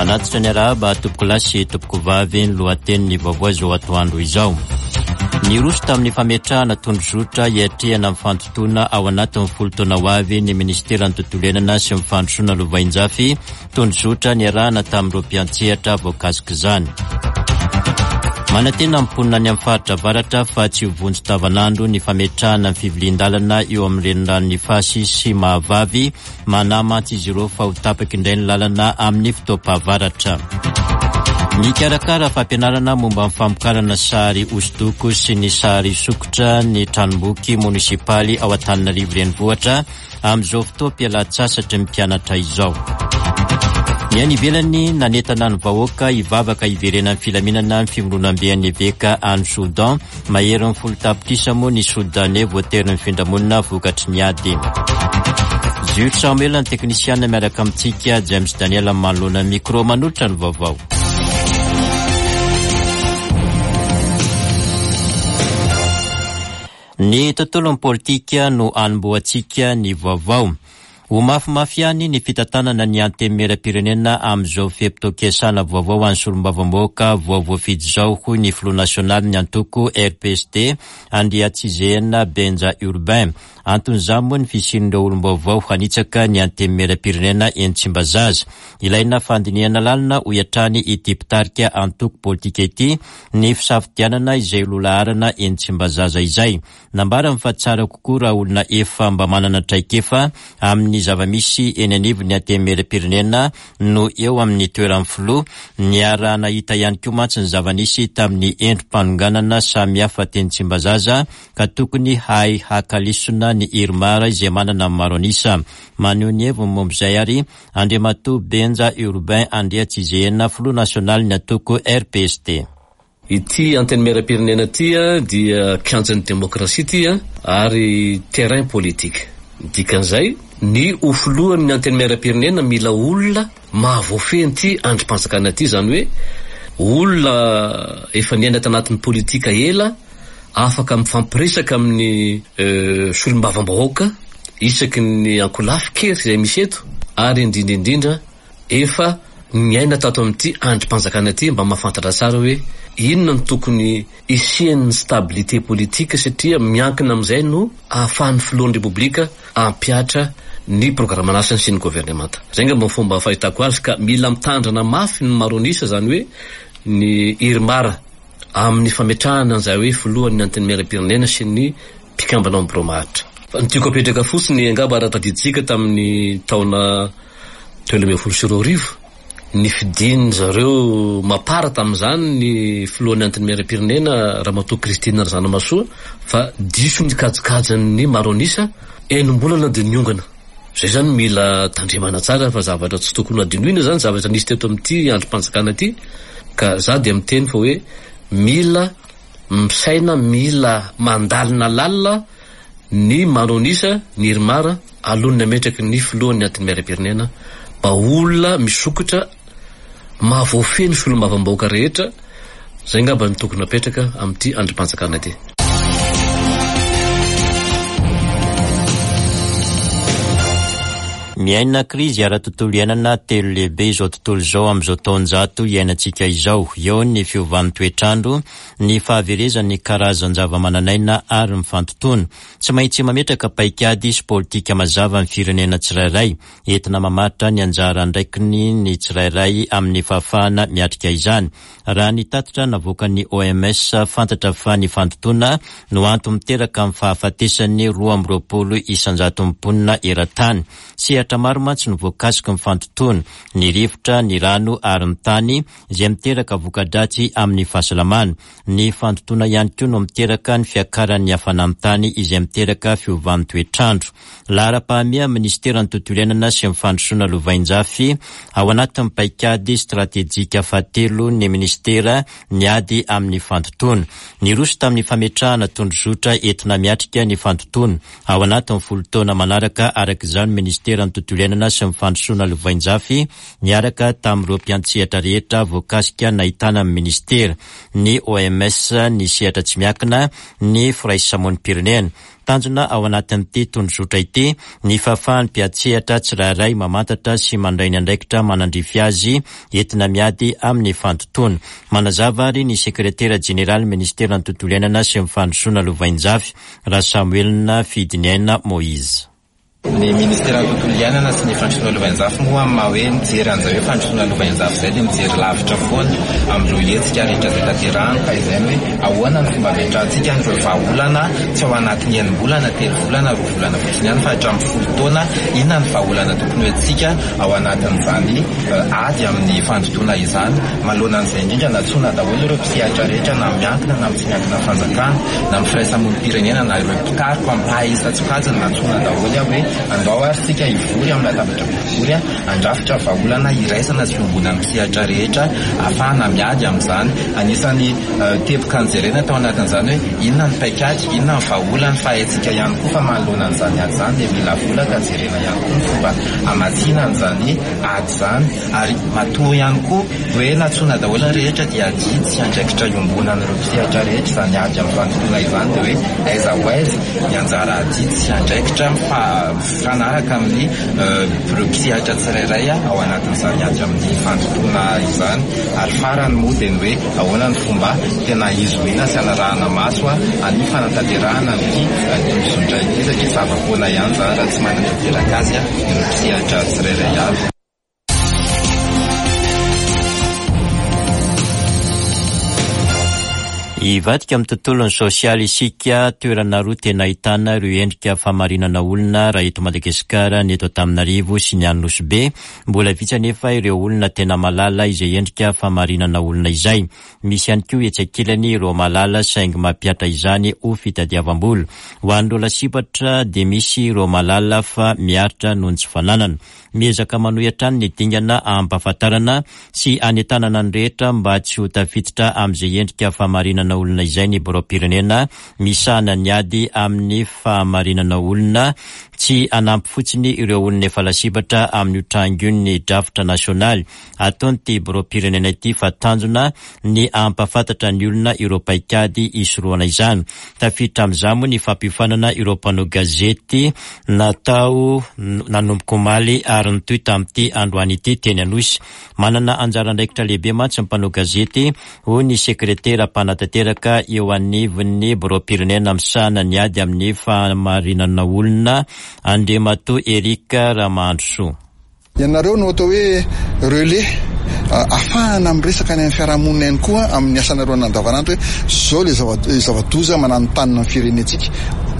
Manatitra ny arahaba tompokolahy sy tompokovavy ny lohatenin'ny vaovao izao atoandro izao. Niroso tamin'ny fametrahana tondrozotra hiatrehana ny fandotoana ao anatin'ny folo taona ho avy ny minisiteran'ny tontolo iainana sy ny fandrosoana lovainjafy Tondrozotra niarahana tamin'ireo mpiantsehatra voakasik'izany. Manantena ny mponina any amin'ny faritra avaratra fa tsy ho vonjy tavanandro ny fametrahana ny fivilian-dalana eo amin'ny reniranon'Ifasy sy Mahavavy. Manahy mantsy izy ireo fa ho tapaka indray ny lalana amin'ny fotoam-pahavaratra. Mikarakara fampianarana momba ny famokarana sary hosodoko sy ny sary sokitra ny tranomboky monisipaly ao Antananarivo Renivohitra. amin'izao fotoam-pialan-tsasatry ny mpianatra izao. Ny any ivelany, nanentana ny vahoaka hivavaka hiverenan'ny filaminana ny fivondronamben'ny eveka any Soudan. Maherin'ny folo tapitrisa moa ny Soudanais voatery nifindra monina vokatry ny ady. Jules Samuel ny teknisiana miaraka amintsika, James Daniel manoloana ny micro manolotra ny vaovao. Ny tontolon'ny politika no anombohantsika ny vaovao. Ho mafimafy ihany ny fitantanana ny Antenimierampirenena amin'izao fe-potoam-piasana vaovao an'ny solombavambahoaka vao voafidy izao, hoy ny filoha nasionalin'ny antoko RPSD, Andriatsizehena Benja Urbain. Anton'izany moa ny fisian'ireo olom-baovao hanitsaka ny Antenimierampirenena eny Tsimbazaza. Ilaina fandinihana lalina, hoy hatrany ity mpitarika antoko politika ity, ny fisafidianana izay ho laharana eny Tsimbazaza izay. Nambarany fa tsara kokoa raha olona efa mba manana traikefa amin'ny zava-misy eny anivon'ny Antenimierampirenena no eo amin'ny toeran'ny filoha. Niaraha-nahita ihany koa mantsy ny zava-nisy tamin'ny endri-panonganana samihafa teny Tsimbazaza ka tokony hahay haka lesona ny IRMAR izay manana ny maro an'isa. Maneho ny heviny momba izay ary Andriamatoa Benja Urbain Andriatsizehena, filoha nasionalin'ny antoko RPSD. Ity Antenimierampirenena ity dia kianjan'ny demokrasia ity ary terrain politique. Ny dikan'izay, ny ho filohan'ny Antenimierampirenena mila olona mahavoafehy an'ity andrim-panjakana ity, izany hoe olona efa niaina tanatin'ny politika ela, afaka mifampiresaka amin'ny solombavambahoaka isaky ny ankolafy kery izay misy eto ary indrindra indrindra efa niaina tato amin'ity andrim-panjakana ity mba mahafantatra tsara hoe inona no tokony hisian'ny stabilité politique satria miankina amin'izay no ahafahan'ny filohan'ny Repoblika hampihatra ny programan'asany sy ny governemanta. Izay angamba ny fomba fahitako azy ka mila mitandrina mafy ny maro an'isa izany hoe ny IRMAR amin'ny fametrahana an'izay hoe filohan'ny Antenimierampirenena sy ny mpikambana ao amin'ny birao maharitra. Fa ny tiako apetraka fotsiny angamba raha tadidintsika tamin'ny taona 2013, nifidin-dry zareo Mapar tamin'izany ny filohan'ny Antenimierampirenena Ramatoa Christine Razanamahasoa fa diso ny kajikajin'ny maro an'isa, enim-bolana dia niongana. Izay izany mila tandremana tsara fa zavatra tsy tokony hadinoina izany zavatra nisy teto amin'ity andrim-panjakana ity ka za dia miteny fa hoe mila misaina mila mandalina lalina ny maro an'isa ny IRMAR alohan'ny hametraky ny filohan'ny Antenimierampirenena mba olona misokatra Mahavoafehy ny solombavambahoaka rehetra, zay ngamba no tokony apetraka amin'ity andrimpanjakana ity. Miaina krizy ara-tontolo iainana telo lehibe izao tontolo izao amin'izao taonjato iainantsika izao. Eo ny fiovan'ny toetr'andro, ny fahaverezan'ny karazan-javamananaina ary ny fantotoana. Tsy maintsy mametraka paikady sy politika mazava ny firenena tsirairay entina mamaritra ny anjara andraikiny ny tsirairay amin'ny fahafahana miatrika izany. Raha ny tatitra navoakan'ny OMS, fantatra fa ny fandotoana no antony miteraka ny fahafatesan'ny 22 isan-jaton'ny mponina eran-tany. Sehatra maro mantsy no voakasiky ny fandotoana, ny rivotra, ny rano ary ny tany, izay miteraka voka-dratsy amin'ny fahasalamana. Ny fandotoana ihany koa no miteraka ny fiakaran'ny hafanan'ny tany izay miteraka fiovan'ny toetr'andro. Laharam-pahamehan'ny Minisiteran'ny Tontolo Iainana sy ny Fandrosoana Lovainjafy ao anatin'ny paikady stratejika fahatelo ny Minisitera ny ady amin'ny fandotoana. Niroso tamin'ny fametrahana tondrozotra entina miatrika ny fandotoana ao anatin'ny folo taona manaraka araka izany ny Minisiteran'ny. Tontolo Iainana sy ny Fandrosoana Lovainjafy niaraka tamin'ireo mpiantsehatra rehetra voakasika nahitana ny Minisitera, ny OMS, ny sehatra tsy miankina, ny firaisamonim-pirenena. Tanjona ao anatin'ity tondrozotra ity ny fahafahan'ny mpiantsehatra tsirairay mamantatra sy mandray ny andraikitra manandrify azy entina miady amin'ny fandotoana. Manazava ary ny sekretera jeneralin'ny minisiteran'ny Tontolo iainana sy ny fandrosoana lovainjafy, Rasamoelina Fidiniaina Moïse. Ny Ministeran'ny Tontolo Iainana sy ny Fandrosoana Lovainjafy moa amin'ny maha hoe mijery an'izay hoe fandrosoana lovainjafy izay dia mijery lavitra foana amin'ireo hetsika rehetra izay tanterahany ka izay ny hoe ahoana ny fomba ametrahantsika an'ireo vahaolana tsy ao anatin'ny enim-bolana, telovolana, roavolana fotsiny ihany fa hatramin'ny folotaona inona ny vahaolana tokony ho entintsika ao anatin'izany ady amin'ny fandotoana izany. Manoloana an'izay indrindra nantsoina daholo ireo mpisehatra rehetra na miankina na amin'ny tsy miankina fanjakana na amin'ny firaisamonim-pirenena na ireo mpikaroka mpahay isan-tsokajiny nantsoina daholo aho hoe andao ary isika hivory amin'ny latabatra boribory handrafitra vahaolana iraisana sy iombonan'ny mpisehatra rehetra ahafahana miady amin'izany. Anisan'ny teboka nojerena tao anatin'izany hoe inona ny paikady, inona ny vahaolana fa haintsika ihany koa fa manoloana an'izany ady izany dia mila vola ka jerena ihany koa ny fomba hamatsiana an'izany ady izany. Ary matoa ihany koa hoe nantsoina daholo ny rehetra dia adidy sy andraikitra iombonan'ireo mpisehatra rehetra izany ady amin'ny fandotoana izany dia hoe aiza ho aiza ny anjara adidy sy andraikitra mifanaraka amin'ny ireo mpisehatra tsirairay ao anatin'izany ady amin'ny fandotoana izany. Ary farany moa dia ny hoe ahoana ny fomba tena hizohiana sy hanarahana maso ny fanatanterahana an'ity tondrozotra ity satria zava-poana ihany izany raha tsy manatanteraka azy ireo mpisehatra tsirairay avy. Hivadika amin'ny tontolon'ny sosialy isika, toerana roa tena ahitana ireo endrika famarinana olona raha eto Madagasikara, ny eto Antananarivo sy ny any Nosy Be. Mbola vitsy anefa ireo olona tena mahalala izay endrika famarinana olona izay. Misy ihany koa etsy ankilany ireo mahalala saingy mampihatra izany ho fitadiavam-bola. Ho an'ireo lasibatra dia misy ireo mahalala fa miaritra noho ny tsy fananana. Miezaka manohy hatrany ny dingana ampahafantarana sy hanentanana ny rehetra mba tsy ho tafiditra amin'izay endrika famarinana olona izay ny Biraom-pirenena misahana ny ady amin'ny fahamarinana olona. Tsy hanampy fotsiny ireo olona efa lasibatra amin'io tranga io ny drafitra nasionaly ataon'ity Biraom-pirenena ity fa tanjona ny hampahafantatra ny olona ireo paikady hisorohana izany. Tafiditra amin'izany moa ny fampiofanana ireo mpanao gazety natao nanomboka omaly ary nitohy tamin'ity androany ity teny Anosy. Manana anjara andraikitra lehibe mantsy ny mpanao gazety, hoy ny sekretera mpanatanteraka eo anivon'ny Biraom-pirenena misahana ny ady amin'ny fahamarinana olona, Andriamatoa Eric Ramahandrisoa. Ianareo no atao hoe relais afahana miresaka any amin'ny fiarahamonina ihany koa amin'ny asanareo andavanandro hoe zao le zava-doza mananontanona ny firenentsika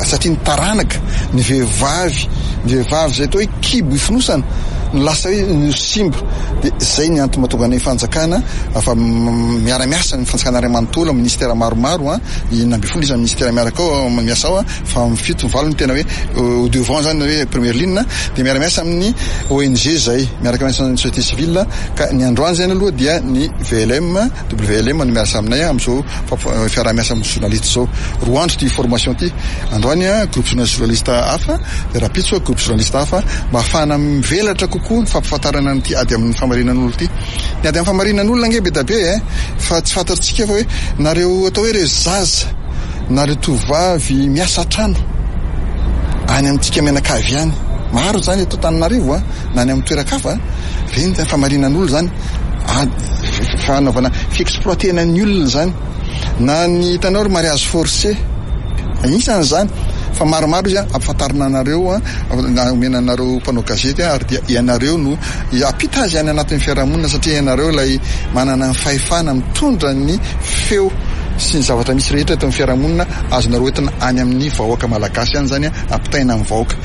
satria ny taranaka, ny vehivavy, ny vehivavy izay atao hoe kibo ifonosana no lasa hoe no simba dia zay ny antony mahatonga ny fanjakana fa miara-miasa ny fanjakana iray manontolo, ministera maromaro an, 16 isan'ny ministera miaraka ao miasa ao an. fa amin'ny fito ny valo no tena hoe au devant zany hoe première ligne dia miara-miasa amin'ny ONG zay miaraka miasa amin'ny société civile ka ny androany zany aloha dia ny VLM WLM no miasa aminay amin'izao fiaraha-miasa amin'ny journaliste zao. Roa andro ity formation ity, androany groupe journaliste hafa dia rahampitso groupe journaliste hafa mba hahafahana mivelatra kokoa ny fampifantarana an'ity ady amin'ny famarinan'olona ity. Ny ady amin'ny famarinan'olona ange be dia be e, fa tsy fantatsika fa hoe nareo atao hoe ireo zaza na ireo tovovavy miasa an-trano any amintsika mianakavy any, maro izany eto Antananarivo a, na any amin'ny toeran-kafa, ireny izany famarinan'olona izany, fanaovana fi-exploiter-na ny olona izany, na ny hitanao ry mariage forcé, anisan'izany fa maromaro izy ampifantarina anareo, na omena anareo mpanao gazety ary dia ianareo no hampita azy any anatin'ny fiarahamonina satria ianareo ilay manana ny fahefana mitondra ny feo sy ny zavatra misy rehetra eto amin'ny fiarahamonina, azonareo entina any amin'ny vahoaka malagasy any izany ampitaina amin'ny vahoaka.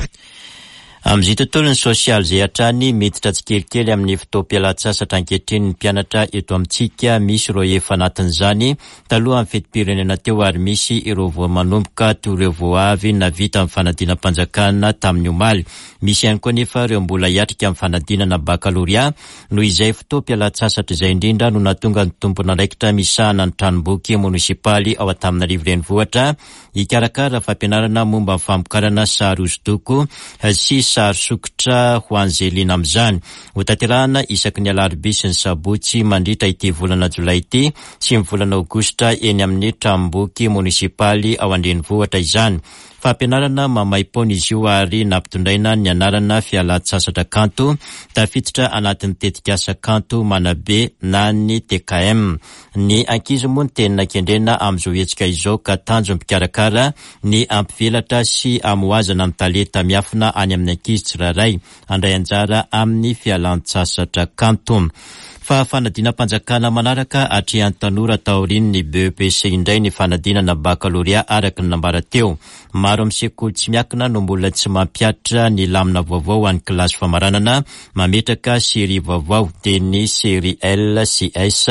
Amin'izay tontolon'ny sosialy izay hatrany, miditra tsikelikely amin'ny fotoam-pialan-tsasatra ankehitriny ny mpianatra eto amintsika, misy ireo efa anatin'izany talohan'ny fetim-pirenena teo ary misy ireo vao manomboka toy ireo vao avy navita ny fanadinam-panjakana tamin'ny omaly. Misy ihany koa anefa ireo mbola hiatrika ny fanadinana bakalorea. Noho izay fotoam-pialan-tsasatra izay indrindra no nahatonga ny tompon'andraikitra misahana ny tranomboky monisipaly ao Antananarivo Renivohitra hikarakara fampianarana momba ny famokarana sary hosodoko sy sary. sary sokitra ho an'izay liana amin'izany. Hotanterahana isaky ny alarobia sy ny sabotsy mandritra ity volana jolay ity sy ny volana aogositra eny amin'ny tranomboky monisipaly ao an-drenivohitra izany. Fampianarana maimaim-poana izy io ary nampitondraina ny anarana Fialan-tsasatra kanto, tafiditra anatin'ny tetikasa Kanto Manabe na ny TKM. Ny ankizy moa no tena kendrena amin'izao hetsika izao ka tanjon'ny mpikarakara ny hampivelatra sy hamohazana ny talenta miafina any amin'ny ankizy tsirairay handray anjara amin'ny fialan-tsasatra kanto. Fa fanadinam-panjakana manaraka atrehan'ny tanora taorian'ny BEPC indray ny fanadinana bakalorea araka ny nambara teo. Maro amin'ny sekoly tsy miankina no mbola tsy mampihatra ny lamina vaovao ho an'ny kilasy famaranana, mametraka série vaovao dia ny série L sy S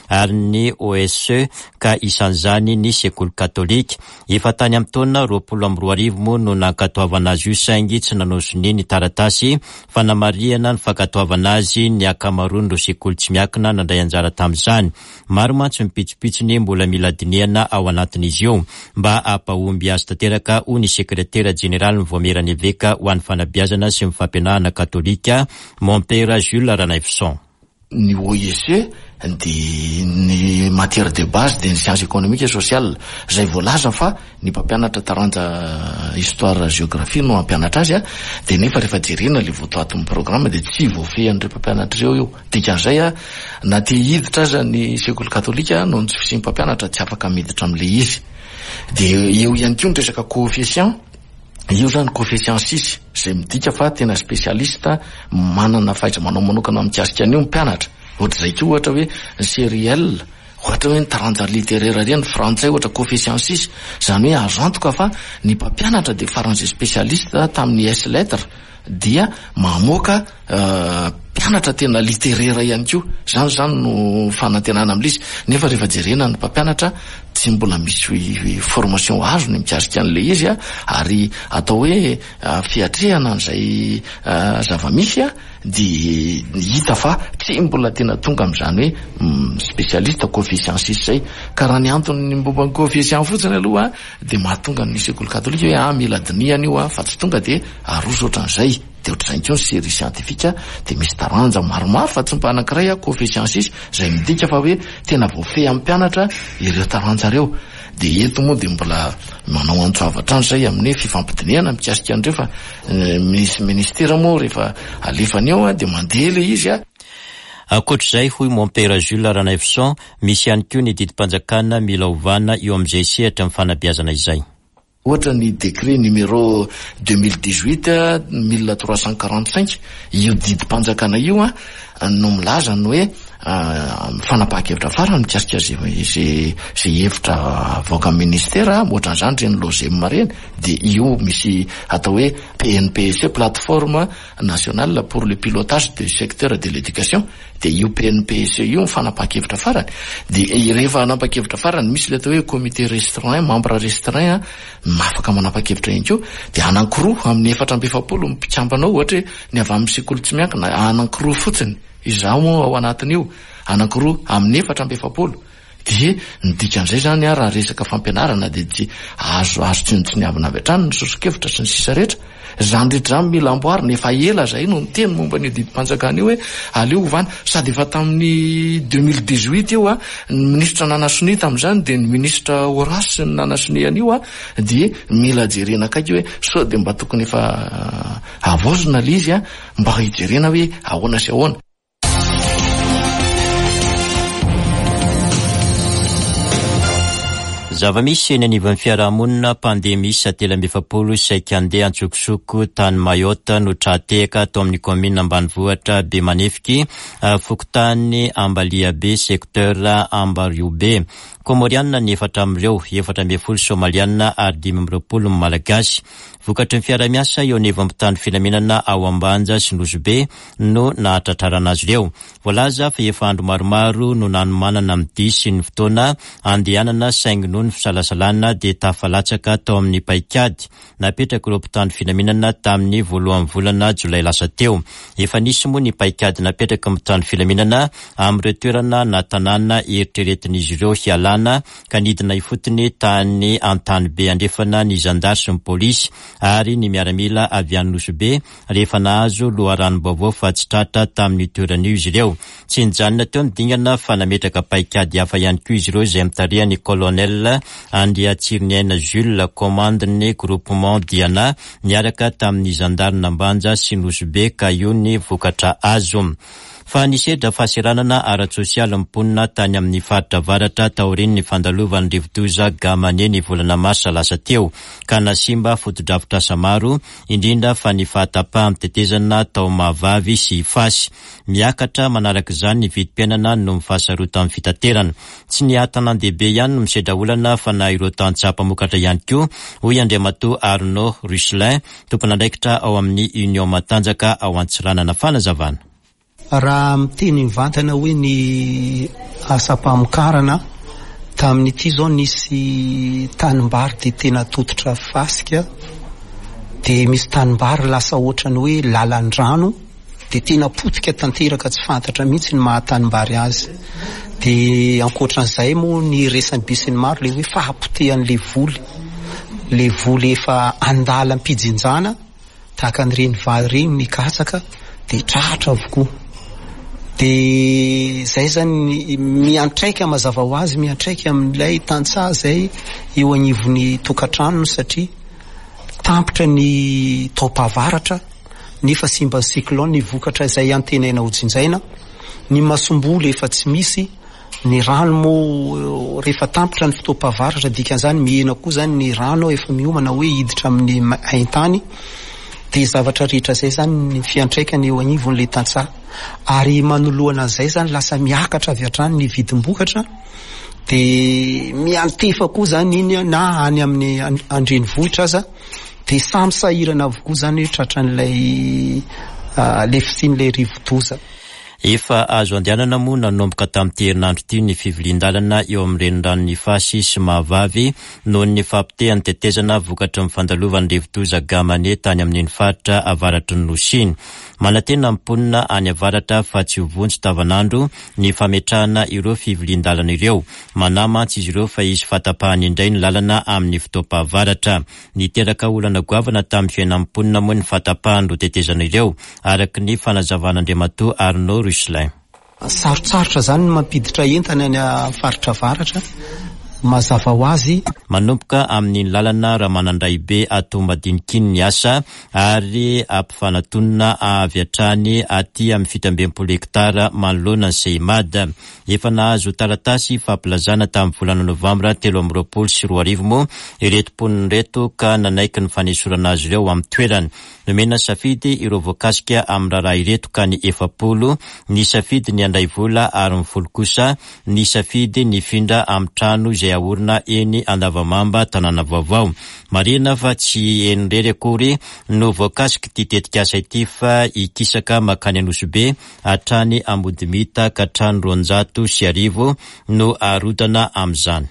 ary ny OSE ka isan'izany ny sekoly katolika. Efa tany amin'ny taona 2020 moa no nankatoavana azy io saingy tsy nanao sonia ny taratasy fanamarihana ny fankatoavana azy ny ankamaroan'ireo sekoly tsy miankina nandray anjara tamin'izany. Maro mantsy ny pitsopitsony mbola mila dinihana ao anatin'izy io mba hampahomby azy tanteraka, hoy ny sekretera jeneralin'ny Vaomieran'ny Eveka ho an'ny Fanabeazana sy ny Fampianarana Katolika, Mompera Jules Ranaivoson. Ny OIC dia ny matière de base dia ny science économique et sociale izay voalaza fa ny mpampianatra taranja histoire géographie no hampianatra azy dia nefa rehefa jerena ilay votoatin'ny programme dia tsy voafehin'ireo mpampianatra ireo io. Dikan'izay na te hiditra aza ny sekoly katolika noho ny tsy fisian'ny mpampianatra tsy afaka miditra amin'ilay izy. Dia eo ihany koa ny resaka coefficient, io izany coefficient six izay midika fa tena spécialiste manana fahaiza-manao manokana mikasika an'io ny mpianatra. Ohatr'izay koa ohatra hoe ny série L, ohatra hoe ny taranja littéraire ireny, frantsay ohatra coefficient six, izany hoe azo antoka fa ny mpampianatra dia faran'izay spécialiste tamin'ny S lettre dia mamoaka mpianatra tena littéraire ihany koa. Izany izany no fanantenana amin'ilay izy. Nefa rehefa jerena ny mpampianatra, tsy mbola misy formation azony mikasika an'ilay izy, ary atao hoe fiatrehana an'izay zava-misy dia hita fa tsy mbola tena tonga amin'izany hoe spécialiste coefficient six izay. Ka raha ny antony momba ny coefficient fotsiny aloha dia mahatonga ny sekoly katolika hoe ah mila dinihana io fa tsy tonga dia aroso ohatran'izay. Dia ohatr'izany koa ny série scientifique dia misy taranja maromaro fa tsy mba anankiray a coefficient six izay midika fa hoe tena voafehy amin'ny mpianatra ireo taranja ireo. Dia eto moa dia mbola manao antso avo hatrany izay amin'ny hoe fifampidinihana mikasika an'ireo fa misy ministera moa rehefa alefany eo a dia mandeha ilay izy a. Ankoatr'izay, hoy Mompera Jules Ranaivoson, misy ihany koa ny didim-panjakana mila ovana eo amin'izay sehatry ny fanabeazana izay. Ohatra ny décret numéro 2018 1345, io didim-panjakana io no milaza ny hoe fanapahan-kevitra farany mikasika izay hevitra avoakan'ny ministera, ohatran'izany ireny LOGEM ireny, dia io misy atao hoe PNPSE, plateforme nationale pour le pilotage du secteur de l'éducation, dia io PNPSE io ny fanapahan-kevitra farany, dia rehefa hanapa-kevitra farany misy ilay atao hoe comité restreint, membre restreint afaka manapa-kevitra ihany koa, dia anankiroa amin'ny 44 ny mpikambana ao, ohatra hoe ny avy amin'ny sekoly tsy miankina anankiroa fotsiny, izaho moa ao anatin'io, anankiroa amin'ny 44. Dia ny dikan'izay izany raha resaka fampianarana dia tsy azo azo tsinontsiniavina avy hatrany ny soso-kevitra sy ny sisa rehetra. Izany rehetra izany mila amboarina, efa ela izahay no niteny momba an'io didim-panjakana io hoe aleo ovana, sady efa tamin'ny 2018 io ny minisitra nanasonia tamin'izany dia ny minisitra Horace no nanasonia an'io dia mila jerena akaiky hoe sao dia mba tokony efa havaozina ilay izy mba hijerena hoe ahoana sy ahoana. Zava-misy eny anivon'ny fiarahamonina, mpandeha miisa 43 saika handeha antsokosoko tany Mayotte no tra-tehaka tao amin'ny kaominina ambanivohitra Bemanefiky, fokontany Ambaliabe, secteur Ambariobe. Kômôrianina ny efatra amin'ireo, 14 Somalianina ary 25 ny Malagasy. Vokatry ny fiaraha-miasa eo anivon'ny mpitandro filaminana ao Ambanja sy Nosy Be no nahatratrarana azy ireo. Voalaza fa efa andro maromaro no nanomanana ny dia sy ny fotoana handehanana saingy noho ny fisalasalana dia tafalatsaka tao amin'ny paikady napetrak'ireo mpitandro filaminana tamin'ny voalohan'ny volana jolay lasa teo. Efa nisy moa ny paikady napetraky ny mpitandro filaminana amin'ireo toerana na tanàna eritreretin'izy ireo hialana. fampilazana ka nidina ifotony tany Antanibe Andrefana ny zandary sy ny polisy ary ny miaramila avy any Nosy Be rehefa nahazo loharanom-baovao fa tsy tratra tamin'io toerana io izy ireo. Tsy nijanona teo ny dingana fa nametraka paikady hafa ihany koa izy ireo izay notarihan'ny Colonel Andriatsiriniaina Jules, kaomandin'ny Groupement Diana, niaraka tamin'ny zandarin'Ambanja sy Nosy Be ka io ny vokatra azo. Fa nisedra fahaseranana ara-tsosialy ny mponina tany amin'ny faritra avaratra taorian'ny fandalovan'ny rivodoza Gamane ny volana marsa lasa teo, ka nahasimba fotodrafitrasa maro, indrindra fa ny fahatapahan'ny tetezana tao Mahavavy sy Ifasy. Miakatra manaraka izany ny vidim-piainana noho ny fahasarotan'ny fitaterana. Tsy ny an-tanàn-dehibe ihany no misedra olana fa na ireo tantsaha mpamokatra ihany koa, hoy Andriamatoa Arnaud Russelin, tompon'andraikitra ao amin'ny Union Matanjaka ao Antsiranana. Fanazavana. Raha miteny mivantana hoe ny asam-pamokarana, tamin'ity izao nisy tanimbary dia tena tototra fasika, dia misy tanimbary lasa ohatran'ny hoe lalan-drano, dia tena potika tanteraka tsy fantatra mihitsy ny maha tanimbary azy. Dia ankoatran'izay moa ny resan'ny besinimaro ilay hoe fahapotehan'ilay voly, ilay voly efa andalam-pijinjana tahaka an'ireny vary ireny ny katsaka dia tratra avokoa. Dia izay izany miantraika mazava ho azy miantraika amin'ilay tantsaha izay eo anivon'ny tokantranony satria tampitra ny taom-pahavaratra nefa simban'ny cyclone ny vokatra izay antenaina ho jinjaina, ny masomboly efa tsy misy, ny rano moa rehefa tampitra ny fotoam-pahavaratra dikan'izany mihena koa izany ny rano efa miomana hoe hiditra amin'ny haintany, dia zavatra rehetra izay izany ny fiantraikany eo anivon'ilay tantsaha ary manoloana an'izay izany lasa miakatra avy hatrany ny vidim-bokatra dia miantefa koa izany iny na any amin'ny andrenivohitra aza. Dia samy sahirana avokoa izany hoe tratran'ilay ilay fisian'ilay rivodoza. Efa azo andehanana moa nanomboka tamin'ity herinandro ity ny fivilian-dalana eo amin'ny reniranon'i Ifasy sy Mahavavy noho ny fahapotehan'ny tetezana vokatry ny fandalovan'ny rivodoza Gamane tany amin'iny faritra avaratry ny Nosy iny. Manantena ny mponina any avaratra fa tsy ho vonjy tavanandro ny fametrahana ireo fivilian-dalana ireo. Manahy mantsy izy ireo fa hisy fahatapahana indray ny lalana amin'ny fotoam-pahavaratra. Niteraka olana goavana tamin'ny fiainan'ny mponina moa ny fahatapahan'ireo tetezana ireo, araka ny fanazavan'Andriamatoa Arnaud Russelin. Sarotsarotra izany ny mampiditra entana any amin'ny faritra avaratra, mazava ho azy. Manomboka amin'iny lalana Ramanandraibe ato Madinika iny ny asa ary ampifanatonina avy hatrany aty amin'ny 67 hektara manoloana ny Seimad. Efa nahazo taratasy fampilazana tamin'ny volana novambra 2023 moa ireto mponina ireto ka nanaiky ny fanesorana azy ireo amin'ny toerany. Nomena safidy ireo voakasika amin'ny raharaha ireto ka ny 40 nisafidy ny handray vola ary ny folo kosa nisafidy ny hifindra amin'ny trano izay haorina eny Andavamamba tanàna vaovao. Marihina fa tsy eny irery akory no voakasik'ity tetikasa ity fa hikisaka mankany Anosibe hatrany Ambodimita ka hatrany 1200 no harodana amin'izany.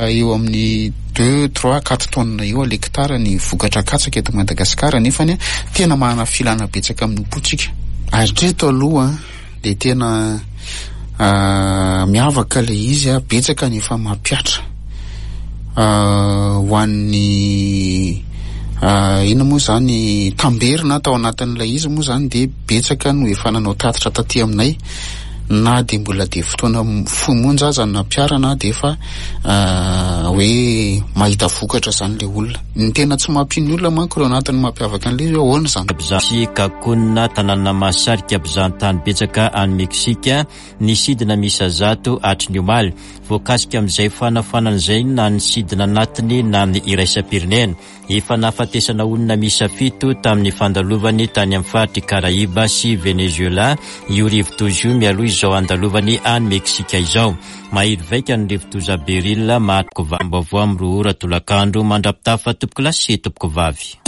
Eo amin'ny deux, trois, quatre tonnes eo à l'hectare ny vokatra katsaka eto Madagasikara nefany tena manana filana betsaka amin'ny mpotsika. Hatreto aloha dia tena miavaka ilay izy, betsaka ny efa mampihatra ho an'ny inona moa izany tamberina tao anatin'ilay izy moa izany dia betsaka no efa nanao tatitra taty aminay na dia mbola dia fotoana fohy monja aza no nampiharana dia efa hoe mahita vokatra izany ilay olona. Ny tena tsy mampino ny olona manko ireo anatiny mampiavaka an'ilay izy hoe ahoana izany. Sy Cancun, tanàna mahasarika mpizahantany betsaka any Meksika, ny sidina miisa 100 hatry ny omaly. Voakasika amin'izay fanafoanana izay na ny sidina anatiny na ny iraisam-pirenena. Efa nahafatesana olona miisa fito tamin'ny fandalovany tany amin'ny faritr'i Karaiba sy Venezuela io rivodoza io mialoha izao handalovany any Meksika izao. Mahery vaika ny rivodoza Beryl maha-vaovao amin'ny 2 ora tolakandro mandra-pitafa tompokolahy sy tompokovavy.